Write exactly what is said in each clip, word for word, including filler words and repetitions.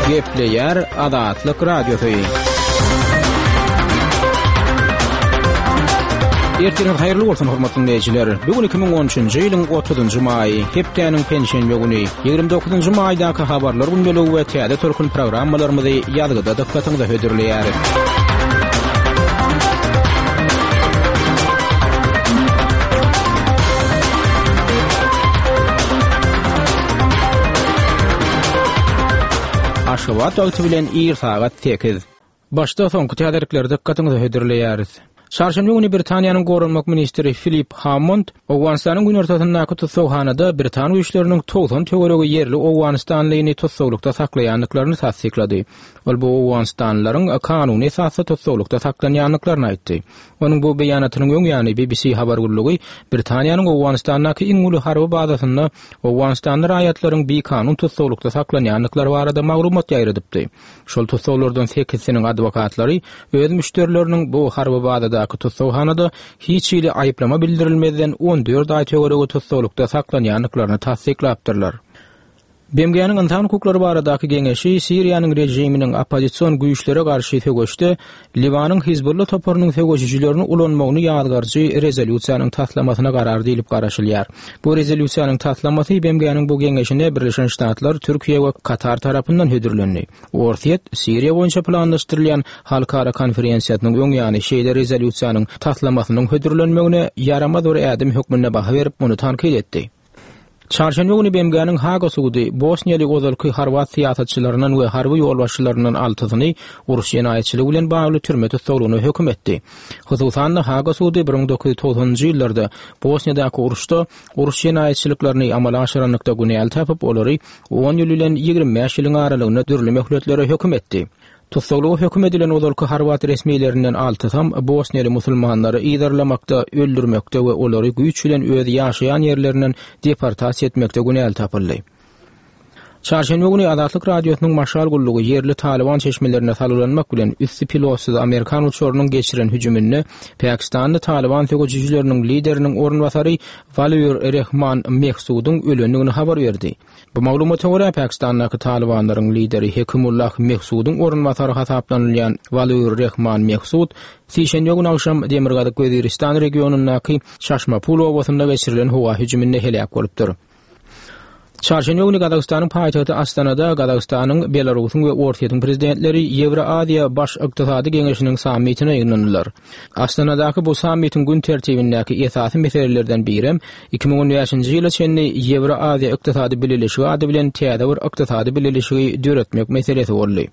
Gepleýär Azatlyk Radiosy. Ertiriňiz haýyrly bolsun, hormatly dinleýjiler. Bu gün iki müň on üçünji ýylyň otuzynjy maýy, hepdäniň penşenbe güni, ýigrimi dokuzynjy maýdaky habarlar gündeligi we täze tolkun programmalarymyzy ýazgyda dykgatyňyza hödürleýäris. Aşgabat wagty bilen ir sagat sekiz. Başda soňky täzelikleri dykgatyňyza hödürleýäris. Çarşenbe güni Britaniýanyň goranmak ministri Filip Hammond Owganystanyň günortasyndaky tussaghanada Britan güýçleriniň togsan töweregi ýerli Owganystanlyny tussaglykda saklaýandyklaryny tassyklady. Ol bu Owganystanlylaryň kanuny esasda tussaglykda saklanýandyklaryny aýtdy. Onuň bu beýanatynyň öň ýany B B C habar gullugy Britaniýanyň Owganystandaky iň uly harby bazasynda Owganystanly raýatlaryň bikanun tussaglykda saklanýandyklary barada maglumat ýaýradypdy. Şol tussaglardan sekizsiniň adwokatlary öz müşderileriniň bu harby bazadaky tussaghanada hiç hili aýyplama bildirilmezden on dört aý töweregi tussaglykda saklanýandyklaryny tassyklapdyrlar. B M G-niň insan hukuklary baradaky geňeşi Siriýanyň režiminiň oppozision güýçlere garşy söweşde Liwanyň Hizbullah toparynyň söweşijilerini ulanmagyny ýazgarjy rezolýusiýanyň taslamasyna garar diýilip garaşylýar. Bu rezolýusiýanyň taslamasy B M G-niň bu geňeşine Birleşen Ştatlar, Türkiýe we Katar tarapyndan hödürlendi. Orsýet Siriýa boýunça planlaşdyrylýan halkara konferensiýasynyň öň ýany şeýle rezolýusiýanyň taslamasynyň hödürlenmegine ýaramaz bir ädim hökmünde baha berip, muny tankyt etdi. Çarşenbe güni B M G-niň Haga sudy Bosniýaly ozalky Horwat syýasatçylaryndan we harby ýolbaşçylaryndan altysyny uruş jenaýatçylygy bilen bagly türme tussaglygyna höküm etdi. Hususan-da Haga sudy bir müň dokuz ýüz togsanynjy ýyllarda Bosniýadaky uruşda uruş jenaýatçylyklaryny amala aşyranlykda günäli tapyp, olary on ýyl bilen ýigrimi bäş ýylyň aralygynda dürli möhletlere höküm etdi. Tussaglyga höküm edilen ozalky Horwat resmilerinden altysam Bosniýaly musulmanlary yzarlamakda, öldürmekde we olary güýç bilen öz ýaşaýan ýerlerinden deportasiýa etmekde günäli tapyldy. Çarşenbe güni Azatlyk Radiosynyň Maşal gullugy ýerli Taliban çeşmelerine salgylanmak bilen üsti pilotsyz Amerikan uçarynyň geçiren hüjüminde Pakistanly Taliban söweşijileriniň lideriniň orunbasary Waliur Rehman Mehsudyň ölendigini habar berdi. Bu maglumata görä Pakistandaky Talibanlaryň lideri Hekimullah Mehsudyň orunbasary hasaplanylýan Waliur Rehman Mehsud sişenbe güni agşam Demirgazyk Weziristan regionyndaky Çaşmapul obasynda geçirilen howa hüjüminde heläk bolupdyr. Çarşenbe güni Gazagystanyň paýtagty Astanada Gazagystanyň, Belarusyň we Orsýetiň prezidentleri Ýewroaziýa Baş Ykdysady Geňeşiniň sammitine ýygnandylar. Astanadaky bu sammitiň gün tertibindäki esasy meselelerden birem iki müň on bäşinji ýyla çenli Ýewroaziýa Ykdysady Bileleşigi ady bilen täze bir ykdysady bileleşigi döretmek meselesi boldy.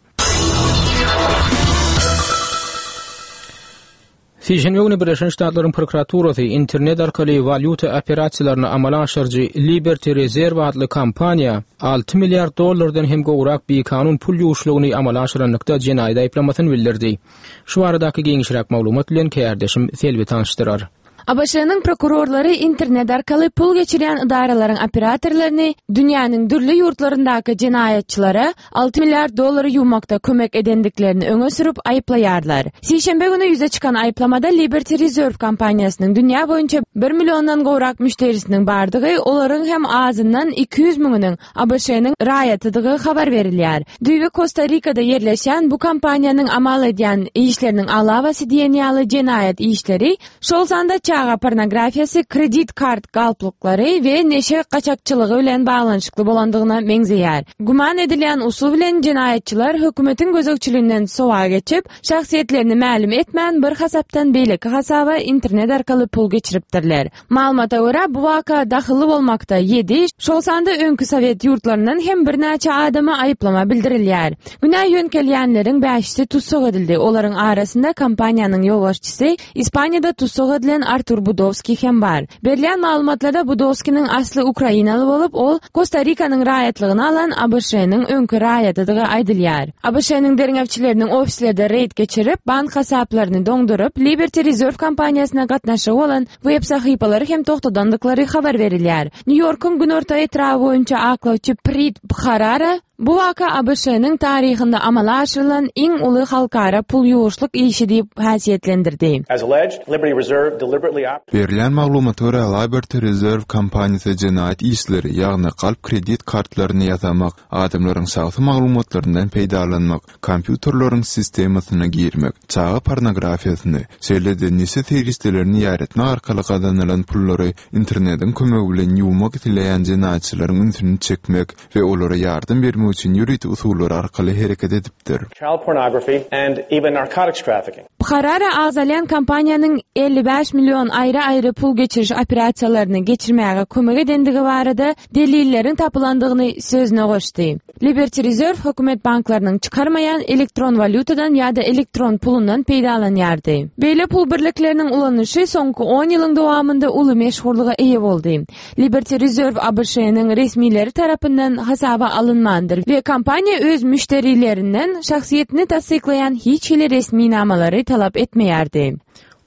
Sişenbe güni Birleşen Ştatlaryň prokuraturasy internet arkaly walýuta operasiýalaryny amala aşyryjy Liberty Reserve adly kompaniýa alty milliard dollardan hem gowrak bikanun pul ýuwuşlygyny amala aşyranlykda jenaýat aýyplamasyny bildirdi. Şu baradaky giňişräk maglumat bilen kärdeşim Selbi tanyşdyrar. A B Ş-nyň prokurorlary internet arkaly pul geçirýän idaralaryň operatorlaryny dünýäniň dürli ýurtlaryndaky jenaýatçylara alty milliard dollary ýuwmakda kömek edendiklerini öňe sürüp aýyplaýarlar. Sişenbe güni ýüze çykan aýyplamada Liberty Reserve kompaniýasynyň dünýä boýunça bir milliondan gowrak müşderisiniň bardygy, olaryň hem azyndan iki ýüz müňüniň A B Ş-nyň raýatydygy habar berilýär. Düýbi Kosta Rikada ýerleşen bu kompaniýanyň amal edýän işleriniň alawasy diýen ýaly jenaýat işleri, şol sanda çaga pornografiýasy, kredit kart galplyklary we neşe gaçakçylygy bilen baglanyşykly bolandygyna meňzeýär. Güman edilýän usul bilen jenaýatçylar hökümetiň gözegçiliginden sowa geçip, şahsyýetlerini mälim etmän bir hasapdan beýleki hasaba internet arkaly pul geçiripdirler. Malumata görä bu waka dahylly bolmakda ýedi, şol sanda öňki Sowet ýurtlaryndan hem birnäçe adama aýyplama bildirilýär. Günä ýönkelýänleriň bäşisi tussag edildi. Olaryň arasynda kompaniýanyň ýolbaşçysy Ispaniýada tussag edilen Artur Budowski hem bar. Berilýän maglumatlarda Budowskiniň asly Ukrainaly bolup, ol Kosta Rikanyň raýatlygyny alan A B Ş-nyň öňki raýatydygy aýdylýar. A B Ş-nyň derňewçileriniň ofislerde reýd geçirip, bank hasaplaryny doňduryp, Liberty Reserve kompaniýasyna gatnaşygy bolan web sahypalary hem togtadandyklary habar berilýär. Nýu-Ýorkuň günorta etraby boýunça aklawçy Prit Bharara Bu waka A B Ş-nyň taryhynda amala aşyrylan iň uly halkara pul ýuwuşlyk işi diýip häsiýetlendirdi. As alleged, Liberty Reserve deliberately Berilýän maglumata görä, Liberty Reserve kompaniýasy jenaýat işleri, ýagny galp kredit kartlaryny ýasamak, adamlaryň şahsy maglumatlaryndan peýdalanmak, kompýuterleriň sistemasyna girmek, çaga pornografiýasyny, şeýle-de neşe serişdelerini ýaýratmak arkaly gazanylan pullary internetiň kömegi bilen ýuwmak isleýän jenaýatçylaryň ünsüni çekmek we olara ýardam bermek üçin ýörite usullar arkaly hereket edipdir. Child pornography and even narcotics trafficking. Bharara agzalýan kompaniýanyň elli bäş million aýry-aýry pul geçiriş operasiýalaryny geçirmäge kömek edendigi barada delilleriň tapylandygyny sözüne goşdy. Liberty Reserve hökümet banklarynyň çykarmaýan elektron walýutadan ýa-da elektron pulundan peýdalanýardy. Beýle pul birlikleriniň ulanyşy soňky on ýylyň dowamynda uly meşhurlyga eýe boldy. Liberty Reserve A B Ş-nyň resmileri tarapyndan hasaba alynmandyr we kompaniýa öz müşderilerinden şahsyýetini tassyklaýan hiç hili resminamalary talap etmeýärdi.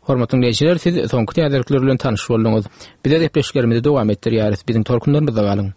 Hormatly dinleýjiler, siz soňky täzelikler bilen tanyş bolduňyz. Biz gepleşiklerimizi dowam etdirýäris. Biziň tolkunlarymyzda galyň.